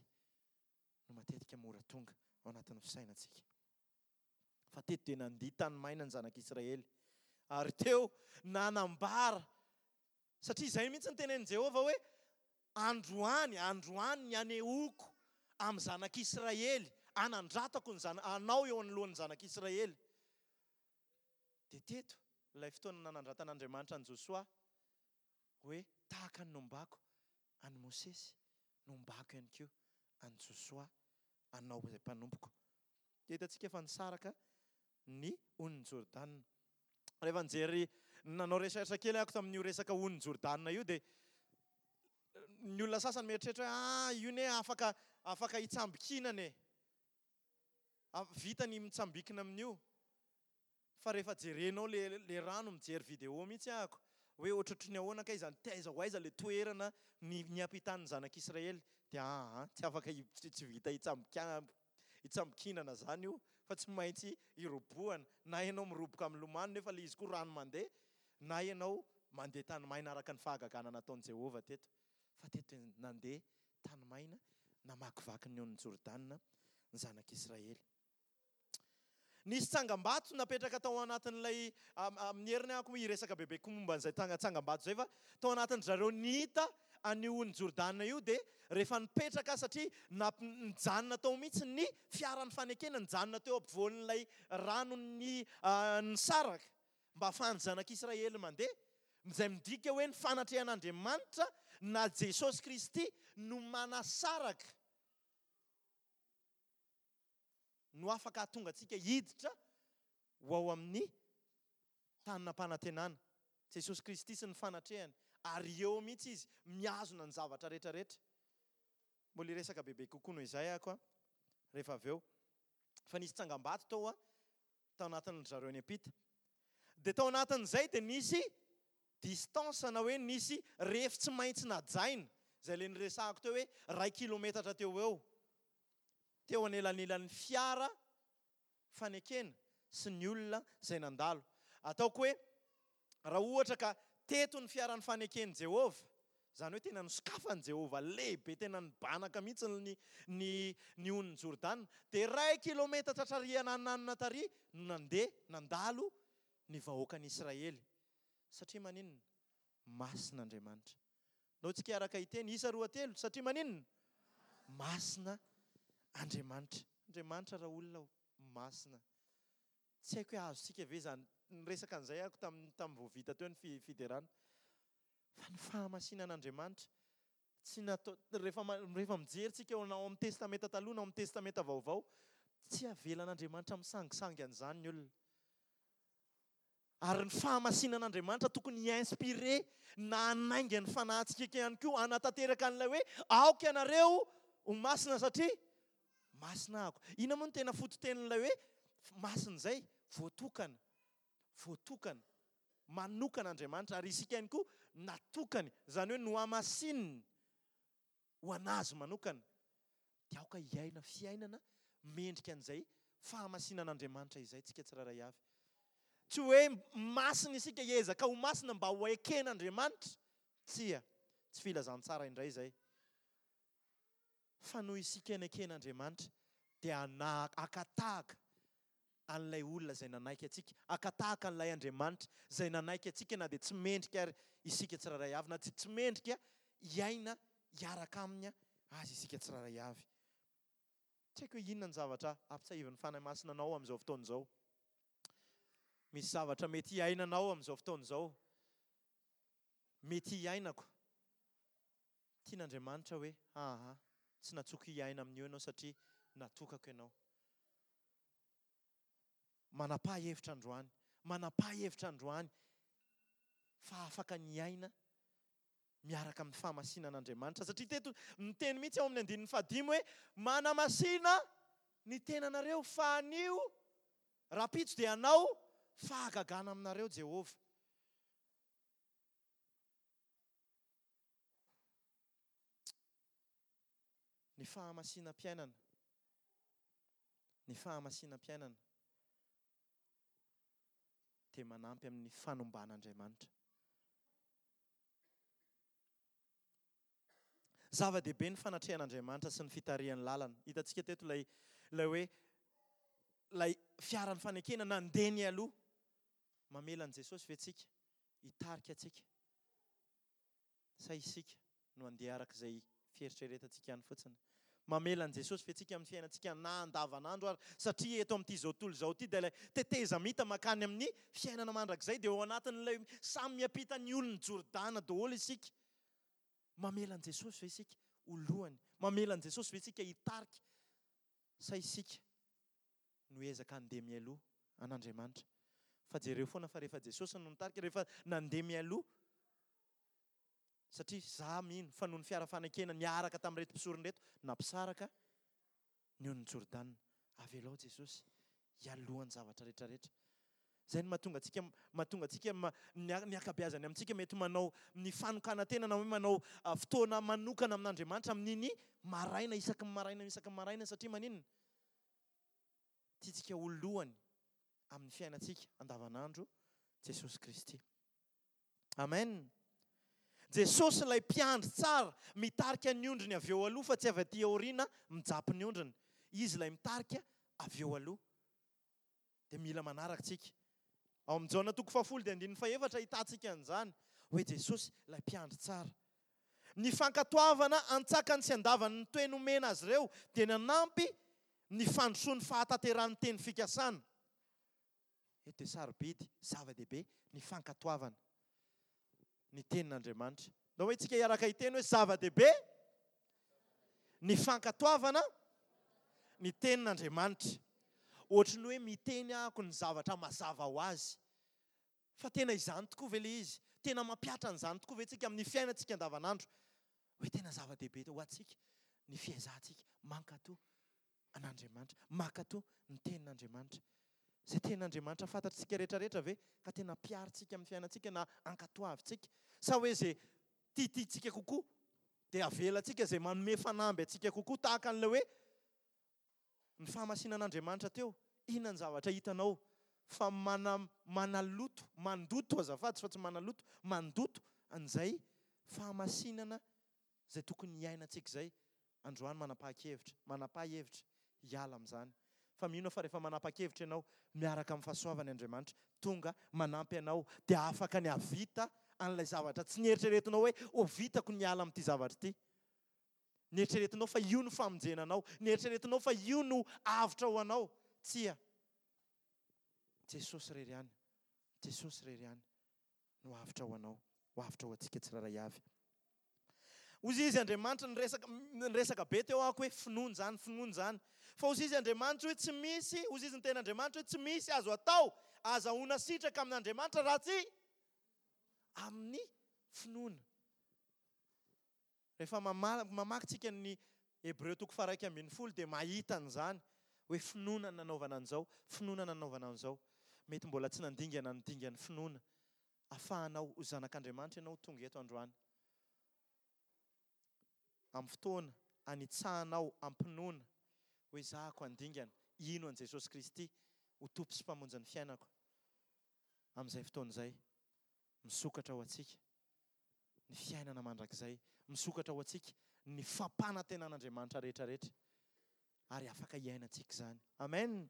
no matetika mora tonga ao anatin'ny fisainantsika. Fa teto dia nandia tany maina ny zanak'Israely. Ary teo nanambara, satria izay mihitsy ny tenenin'i Jehovah hoe androany, androany ny anehoako amin'ny zanak'Israely, anandratako ny zana-, anao eo anoloan'ny zanak'Israely. Dia teto ilay fotoana nanandratan'Andriamanitra an'i Josoa hoe tahaka ny nombako an'i Mosesy, nombako ihany koa an'i Josoa, anao izay mpanompoko. Dia hitantsika fa nisaraka ny onin'i Jordana. Rehefa nijery, nanao recherche kely aho tamin'io resaka onin'i Jordana io, dia ny olona sasany mieritreritra hoe, ah, io ne afaka, afaka hitsambikinana e. Vita ny mitsambikina amin'io. Fa rehefa jerenao le, le rano, mijery vidéo mihitsy ahako hoe ohatrohatry ny ahoana kay izany, taiza ho aiza le toerana ny, ny ampitan'ny zanak'Israely, dia ah, ah, tsy afaka hi-, tsy, tsy vita hitsambika-, hitsambikinana zany io, fa tsy maintsy hirobohana. Na ianao miroboka amin'ny lomano nefa le izy koa rano mandeha, na ianao mandeha tany maina araka ny fahagagana nataon'i Jehovah teto. Fa teto dia nandeha tany maina, namakivaky ny onin'i Jordana ny zanak'Israely. Nisy tsangambato napetraka tao anatin'ilay, am-, amin'ny heriny aho koa hiresaka bebe koa momba an'izay tanga-, tsangambato izay, fa tao anatin-dry zareo nihita an'io onin'i Jordana io, dia rehefa nipetraka, satria nap-, nijanona tao mihitsy ny fiaran'ny fanekena, nijanona teo ampovoan'ilay ranon'ny, ah, nisaraka mba ahafahan'ny zanak'Israely mandeha, izay midika hoe ny fanatrehan'Andriamanitra na Jesosy Kristy no manasaraka, no afaka hahatonga antsika hiditra ho ao amin'ny tany nampanantenana. Jesosy Kristy sy ny fanatrehany, ary eo mihitsy izy mihazona ny zavatra rehetrarehetra. Mbola hiresaka bebe kokoa noho izay aho koa rehefa avy eo. Fa nisy tsangambato tao a, tao anatin'ny zareo ny ampita. Dia tao anatin'izay dia nisy distance na hoe nisy refy tsy maintsy najaina, izay le niresahako teo hoe iray kilometatra teo ho eo. Teo anelanelan'ny fiara fanekena sy ny olona izay nandalo. Ataoko hoe raha ohatra ka teto ny fiaran'ny faneken'i Jehovah, izany hoe tena nosokafan'i Jehovah lehibe, tena nibanaka mihitsy ny, ny, ny onin'i Jordana, dia iray kilometatra tary anananina tary no nandeha nandalo ny vahoakan'Israely. Satria maninona? Masina Andriamanitra. Nao tsika araka hiteny isa roa telo, satria maninona? Masina Andriamanitra. Andriamanitra raha olona masina. Tsy haiko hoe azontsika ve izany. Niresaka an'izay aho tamin'ny, tamin'ny vao vita teo ny fi-, fiderana. Fa ny fahamasinan'Andriamanitra tsy natao, rehefa ma-, rehefa mijery tsika ao na ao amin'ny Testamenta taloha na ao amin'ny Testamenta vaovao, tsy avelan'Andriamanitra misangisangy an'izany ny olona. Ary ny fahamasinan'Andriamanitra tokony hi-inspiré na hanainga ny fanahintsika ihany koa, hanatanteraka an'ilay hoe aoka ianareo ho masina satria masina ako. Inona moa no tena fototenin'ilay hoe masina izay? Voatokana. Voatokana. Manokana Andriamanitra, ary isika ihany koa natokany, izany hoe nohamasininy ho an'azy manokana, dia aoka hiaina fiainana mendrika an'izay fahamasinan'Andriamanitra izay tsika tsirairay avy. Tsy hoe masina isika hiezaka ho masina mba ho eken'Andriamanitra. Tsia, tsy filazantsara indray izay. Fa noho isika neken'Andriamanitra dia haka tahaka an'ilay olona izay nanaiky antsika, haka tahaka an'ilay Andriamanitra izay nanaiky antsika na dia tsy mendrika ary isika tsirairay avy, na tsy mendrika hiaina hiaraka aminy azy isika tsirairay avy. Tsy haiko hoe inona ny zavatra ampitsahivin'ny Fanahy Masina anao amin'izao fotoana izao. Misy zavatra mety hiainanao amin'izao fotoana izao. Mety hiainako. Tian'Andriamanitra hoe, aha, tsy natsoko hiaina amin'io ianao satria natokako ianao. Manapaha hevitra androany, manapaha hevitra androany fa afaka ny hiaina miaraka amin'ny fahamasinan'Andriamanitra. Satria teto miteny mihitsy ao amin'ny andininy fahadimy hoe manamasina ny tenanareo fa anio rahampitso dia hanao fahagagana aminareo Jehovah. Ny fahamasinam-piainana, ny fahamasinam-piainana dia manampy amin'ny fanomban'Andriamanitra. Zava-dehibe ny fanatrehan'Andriamanitra sy ny fitarihan'ny lalana. Hitantsika teto ilay ilay hoe ilay fiaran'ny fanekena nandeha ny aloha. Mamela an'i Jesosy ve tsika hitarika antsika? Sa isika no handeha araka izay fieritreretantsika ihany fotsiny? Mamela an'i Jesosy ve tsika amin'ny fiainantsika na andavanandro ary? Satria eto amin'ity izao tontolo izao ity dia ilay tetezamita mankany amin'ny fiainana mandrakizay dia ao anatin'ilay samy miampita ny olon'i Jordana daholo isika. Mamela an'i Jesosy ve isika ho lohany? Mamela an'i Jesosy ve isika hitarika? Sa isika no ezaka handeha mialoha an'Andriamanitra? Fa jereo foana fa rehefa Jesosy no nitarika, rehefa nandeha mialoha, satria za mino fa noho ny fiara fanekena niaraka tamin'ireto mpisorona ireto, nampisaraka ny onin'i Jordana. Avelao Jesosy hialohan'ny zavatra rehetrarehetra. Izay no mahatonga antsika, mahatonga antsika ma-, ny a-, ny ankabeazany amintsika mety manao ny fanokanan-tena na hoe manao, ah, fotoana manokana amin'Andriamanitra amin'iny maraina, isaky ny maraina, isaky ny maraina, satria maninona? Tiantsika ho lohany amin'ny fiainantsika andavanandro Jesosy Kristy. Amen. Jesosy ilay mpiandry tsara, mitarika ny ondriny avy eo aloha fa tsy avy aty aoriana mijapy ny ondriny. Izy ilay mitarika avy eo aloha. Dia mila manaraka tsika. Ao amin'ny Jaona toko fahafolo dia andininy fahefatra ahitantsika an'izany hoe Jesosy ilay mpiandry tsara. Ny fankatoavana antsakany sy andavany ny toe nomena azy ireo dia nanampy ny fandrosoan'ny fahatanterahan'ny teny fikasana. Eto dia sarobidy, zava-dehibe ny fankatoavana ny tenin'Andriamanitra. Ndao hoe tsika hiaraka hiteny hoe zava-dehibe ny fankatoavana ny tenin'Andriamanitra. Ohatry ny hoe miteny ahako ny zavatra mazava ho azy. Fa tena izany tokoa ve ilay izy? Tena mampihatra an'izany tokoa ve tsika amin'ny fiainantsika andavanandro? Hoe tena zava-dehibe ho antsika ny fiezahantsika mankatò an'Andriamanitra, mankatò ny tenin'Andriamanitra. Izay tenin'Andriamanitra fantatsika rehetrarehetra ve ka tena ampiharintsika amin'ny fiainantsika na ankatoavintsika? Sa hoe izay tiatiantsika kokoa dia avelantsika izay manome fanamby antsika kokoa, tahaka an'ilay hoe ny fahamasinan'Andriamanitra teo. Inona ny zavatra hitanao fa mana-, manaloto, mandoto azafady fa tsy manaloto, mandoto an'izay fahamasinana izay tokony hiainantsika izay. Androany manapa-kevitra, manapa-hevitra hiala amin'izany. Fa mino fa rehefa manapa-kevitra ianao miaraka amin'ny fahasoavany Andriamanitra, tonga manampy anao dia afaka ny hahavita an'ilay zavatra tsy nieritreretinao hoe ho vitako ny hiala amin'ity zavatra ity. Nieritreretinao fa io no famonjena anao, nieritreretinao fa io no avotra ho anao. Tsia. Jesosy irery ihany, Jesosy irery ihany no avotra ho anao, ho avotra ho antsika tsirairay avy. Hoy izy Andriamanitra, niresaka, niresaka be teo aho hoe finoana izany, finoana izany. Fa hoy izy Andriamanitra hoe tsy misy, hoy izy ny tena Andriamanitra hoe tsy misy azo atao, azahoana sitraka amin'Andriamanitra raha tsy amin'ny finoana. Rehefa mama-, mamaky tsika ny Hebreo toko faha-iraika ambin'ny folo dia mahita an'izany hoe finoana ny nanaovana an'izao, finoana ny nanaovana an'izao. Mety mbola tsy nandingana ny dingan'ny finoana ahafahanao ho zanak'Andriamanitra ianao tonga eto androany. Amin'ny fotoana anitsahanao am-pinoana hoe zahako handingana hino an'i Jesosy Kristy ho Tompo sy Mpamonjy ny fiainako. Amin'izay fotoana izay, misokatra ho antsika ny fiainana mandrakizay, misokatra ho antsika ny fampanantenan'Andriamanitra rehetrarehetra, ary afaka hiainantsika izany. Amen.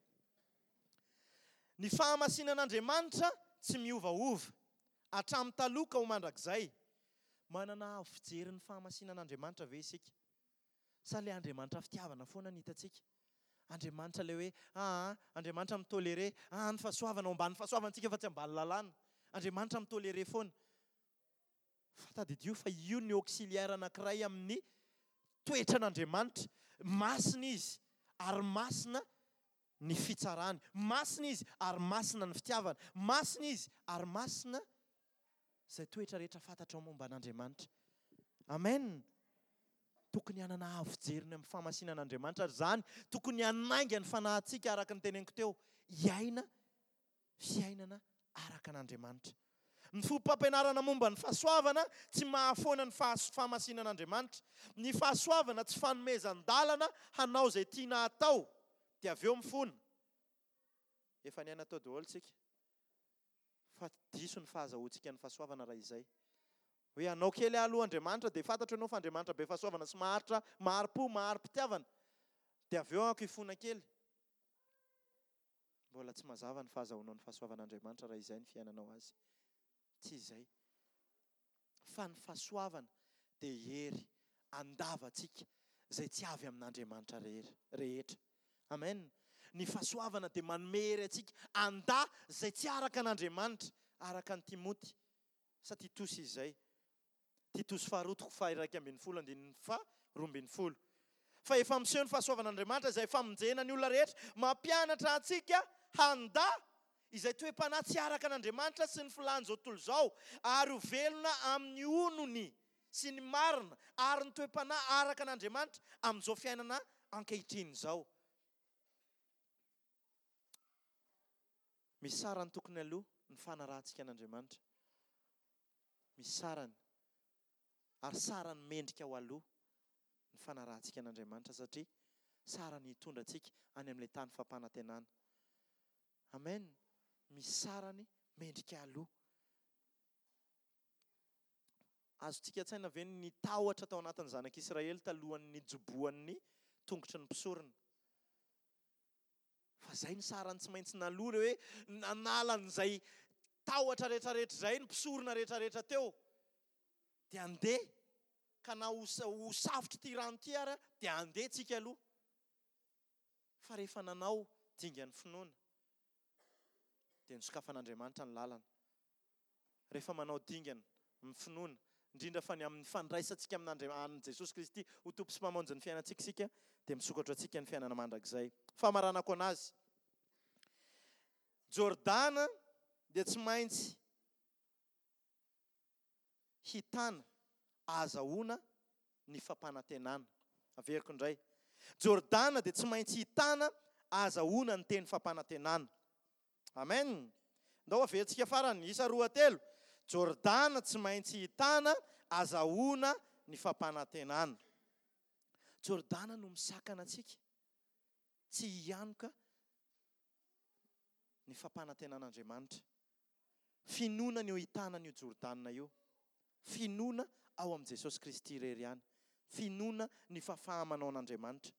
Ny fahamasinan'Andriamanitra tsy miovaova hatramin'ny taloha ka ho mandrakizay. Manana avo fijery ny fahamasinan'Andriamanitra ve isika? Sa ilay Andriamanitra fitiavana foana no hitantsika? Andriamanitra ilay hoe, aa, Andriamanitra mitoléré, aa, ny fahasoavana, ao ambanin'ny fahasoavantsika fa tsy ambany lalàna. Andriamanitra mitoléré foana. Fa tadidio fa io ny auxiliaire anankiray amin'ny toetran'Andriamanitra. Masina izy ary masina ny fitsarany. Masina izy ary masina ny fitiavana. Masina izy ary masina izay toetra rehetra fantatrao momba an'Andriamanitra. Amen. Tokony hanana avo fijeriny amin'ny fahamasinan'Andriamanitra ary izany tokony hanainga ny fanahintsika araka ny teneniko teo, hiaina fiainana araka an'Andriamanitra. Ny fomba-pampianarana momba ny fahasoavana tsy mahafoana ny fahamasinan'Andriamanitra. Ny fahasoavana tsy fanomezan-dalana hanao izay tiana hatao, dia avy eo mifona. Efa niaina tao daholo tsika. Fa diso ny fahazahoantsika ny fahasoavana raha izay. Hoe hanao kely aho aloha Andriamanitra, dia fantatro ianao fa Andriamanitra be fahasoavana sy maharitra, mahari-po, mahari-pitiavana. Dia avy eo aho hifona kely. Mbola tsy mazava ny fahazahoanao ny fahasoavan'Andriamanitra raha izay ny fiainanao azy. Tsy izay. Fa ny fahasoavana dia hery andavantsika izay tsy avy amin'Andriamanitra rehetra. Amen. Ny fahasoavana dia manome hery antsika anda izay tsy araka an'Andriamanitra, araka an'i Timoty sa Titosy izay. Titosy faharoa toko faha-iraika ambin'ny folo andininy faharoa ambin'ny folo. Fa efa miseho ny fahasoavan'Andriamanitra izay famonjena ny olona rehetra, mampianatra antsika handa izay toe-panahy tsy araka an'Andriamanitra sy ny filàn'izao tontolo izao, ary ho velona amin'ny onony sy ny marina ary ny toe-panahy araka an'Andriamanitra amin'izao fiainana ankehitriny izao. Misy sarany tokony aloha ny fanarahantsika an'Andriamanitra. Misy sarany. Ary sarany mendrika ho aloha ny fanarahantsika an'Andriamanitra satria sarany hitondra antsika any amin'ilay tany fampanantenana. Amen. Misy sarany mendrika aloha. Azontsika an-tsaina ve ny tahotra tao anatin'ny zanak'Israely talohan'ny nijobohan'ny tongotry ny mpisorona? Fa zay ny sarany tsy maintsy naloa, le hoe nanala an'izay tahotra rehetrarehetra izay ny mpisorona rehetrarehetra teo. Dia andeha, ka na ho ho safotra ity rano ity ary dia andeha tsika aloha. Fa rehefa nanao dingan'ny finoana, dia nosokafan'Andriamanitra ny lalana. Rehefa manao dingana amin'ny finoana, indrindra fa ny amin'ny fandraisantsika amin'Andriamanitra Jesosy Kristy ho Tompo sy Mpamonjy ny fiainantsika isika, dia misokatra antsika ny fiainana mandrakizay. Famaranako anazy. Jordana dia tsy maintsy hitana ahazahoana ny fampanantenana. Averiko indray. Jordana dia tsy maintsy hitana ahazahoana ny teny fampanantenana. Amen. Ndao averintsika farany, isa roa telo. Jordana tsy maintsy hitana ahazahoana ny fampanantenana. Jordana no misakana antsika tsy hianoka ny fampanantenan'Andriamanitra. Finoana ny eo hitana an'io Jordana io. Finoana ao amin'i Jesosy Kristy irery ihany. Finoana ny fahafaha-manao an'Andriamanitra.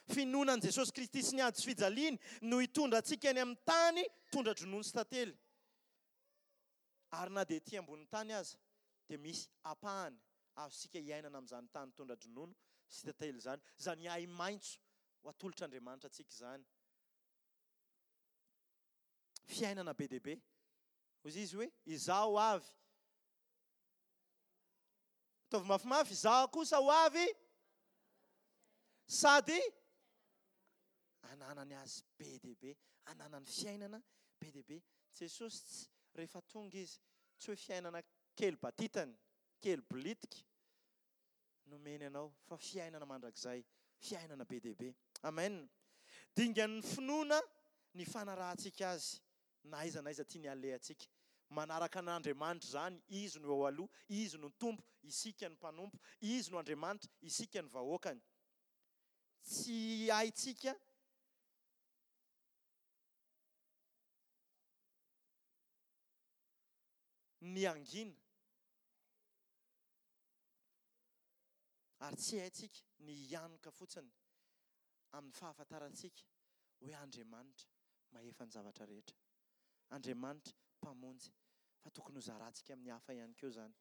Finoana an'i Jesosy Kristy sy ny ady sy fijaliany no hitondra antsika any amin'ny tany tondra-dronono sy tantely. Ary na dia ety ambonin'ny tany aza dia misy ampahany azontsika iainana amin'izany tany tondra-dronono sy tantely izany. Izany ahi-maitso ho atolotr'Andriamanitra antsika izany. Fiainana be dia be. Hoy izy hoe, izaho avy. Ataovy mafimafy, izaho kosa ho avy sady ananany azy be dia be, ananany fiainana be dia be. Jesosy tsy, rehefa tonga izy, tsy hoe fiainana kely batitany, kely bolitika nomeny anao, fa fiainana mandrakizay, fiainana be dia be. Amen. Dingan'ny finoana ny fanarahantsika azy, na aiza na aiza tiany alehantsika. Manaraka an'Andriamanitra izany, Izy no eo aloha, Izy no Tompo, isika no mpanompo, Izy no Andriamanitra, isika no vahoakany. Tsy haintsika ny hangina ary tsy haintsika ny hianoka fotsiny amin'ny fahafantarantsika hoe Andriamanitra mahefa ny zavatra rehetra. Andriamanitra Mpamonjy, fa tokony ho zarantsika amin'ny hafa ihany koa izany.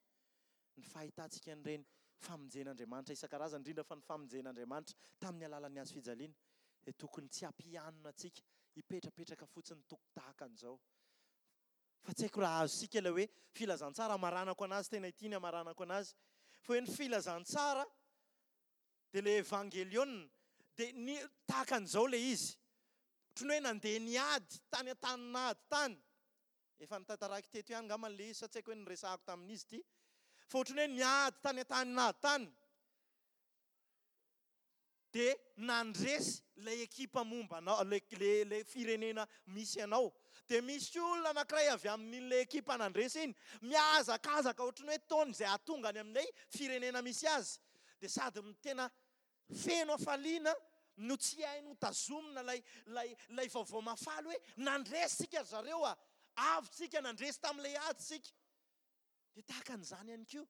Ny fahitantsika an'ireny famonjen'Andriamanitra isan-karazany, indrindra fa ny famonjen'Andriamanitra tamin'ny alalan'ny hazo fijaliana, dia tokony tsy hampianona antsika hipetrapetraka fotsiny toko tahaka an'izao. Fa tsy haiko raha azontsika ilay hoe filazantsara, hamaranako an'azy, tena ity ny hamaranako an'azy, fa hoe ny filazantsara dia ilay evangeliona, dia ny tahaka an'izao ilay izy. Ohatran'ny hoe nandeha niady tany an-tanin'ady tany. Efa notantaraiko teto ihany angamba ilay izy sa tsy haiko hoe niresahako tamin'izy ity. Fa ohatran'ny hoe niady tany an-tanin'ady tany. Dia nandresy ilay ekipa momba anao, ilay, ilay, ilay firenena misy anao. Dia misy olona anankiray avy amin'ilay ekipa nandresy iny, mihazakazaka ohatran'ny hoe taony izay hahatonga any amin'ilay firenena misy azy. Dia sady tena feno hafaliana no tsy hainy ho tazomina ilay, ilay, ilay vaovao mahafaly hoe nandresy isika ry zareo a! Avy tsika, nandresy tamin'ilay ady isika. Dia tahaka an'izany ihany koa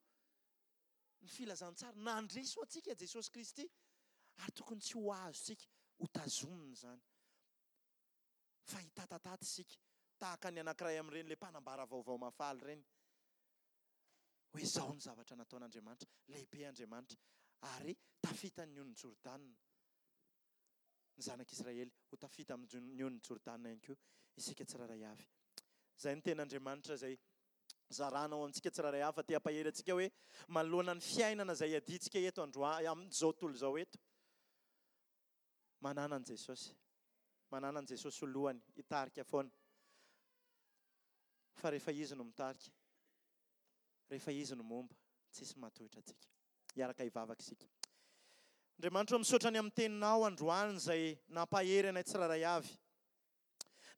ny filazantsara. Nandresy ho antsika Jesosy Kristy ary tokony tsy ho azontsika ho tazomina izany. Fa hitatatata isika tahaka ny anankiray amin'ireny ilay mpanambara vaovao mahafaly ireny. Hoe izao ny zavatra nataon'Andriamanitra, lehibe Andriamanitra, ary tafita ny onin'i Jordana. Ny zanak'Israely ho tafita amin'ny onin'i Jordana ihany koa isika tsirairay avy. Izay no tenin'Andriamanitra izay zarana ao amintsika tsirairay avy, fa te hampahery antsika hoe manoloana ny fiainana izay iadiantsika eto androany, amin'izao tontolo izao eto, manana an'i Jesosy. Manana an'i Jesosy ho lohany, hitarika foana. Fa rehefa Izy no mitarika, rehefa Izy no momba, tsisy mahatohitra antsika. Hiaraka hivavaka isika. Andriamanitra ô, misaotra ny amin'ny teninao androany izay nampahery anay tsirairay avy.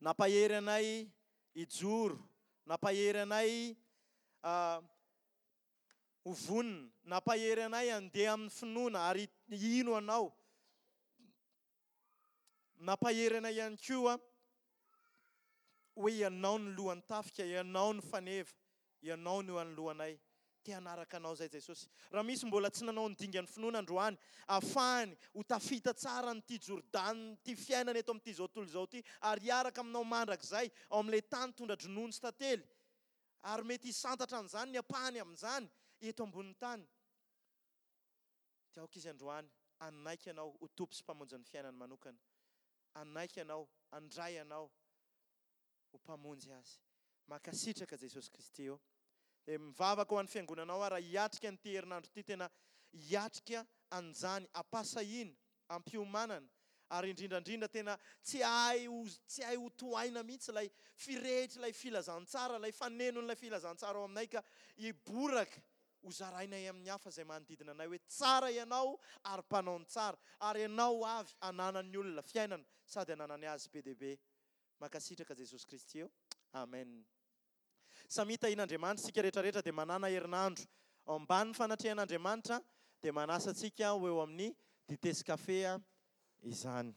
Nampahery anay hijoro, nampahery anay ho vonona, nampahery anay handeha amin'ny finoana ary hino anao. Nampahery anay ihany koa hoe ianao no lohan'ny tafika, ianao no faneva, ianao no eo anoloanay. Te hanaraka anao izay Jesosy. Raha misy mbola tsy nanao ny dingan'ny finoana androany, ahafahany ho tafita tsara an'ity Jordana, ity fiainana eto amin'ity izao tontolo izao ity, ary hiaraka aminao mandrakizay ao amin'ilay tany tondra-dronono sy tantely, ary mety hisantatra an'izany ny ampahany amin'izany eto ambonin'ny tany. Dia aoka izy androany hanaiky anao ho Tompo sy Mpamonjy ny fiainany manokana. Hanaiky anao, handray anao ho Mpamonjy azy. Mankasitraka Jesosy Kristy ô. Dia mivavaka ho an'ny fiangonanao aho raha hiatrika an'ity herinandro ity, tena hiatrika an'izany am-pahasahiana, am-piomanana, ary indrindra indrindra tena tsy hay ho, tsy hay ho tohaina mihitsy ilay firehitr'ilay filazantsara, ilay fanenon'ilay filazantsara ao aminay ka hiboraka ho zarainay amin'ny hafa izay manodidina anay hoe tsara ianao ary mpanao ny tsara, ary ianao avy ananan'ny olona fiainana sady ananany azy be dia be. Mankasitraka Jesosy Kristy ô. Amen. Samia tahian'Andriamanitra isika rehetra rehetra dia manana herinandro ao ambanin'ny fanatrehan'Andriamanitra dia manasa antsika ho eo amin'ny dite sy kafe izany.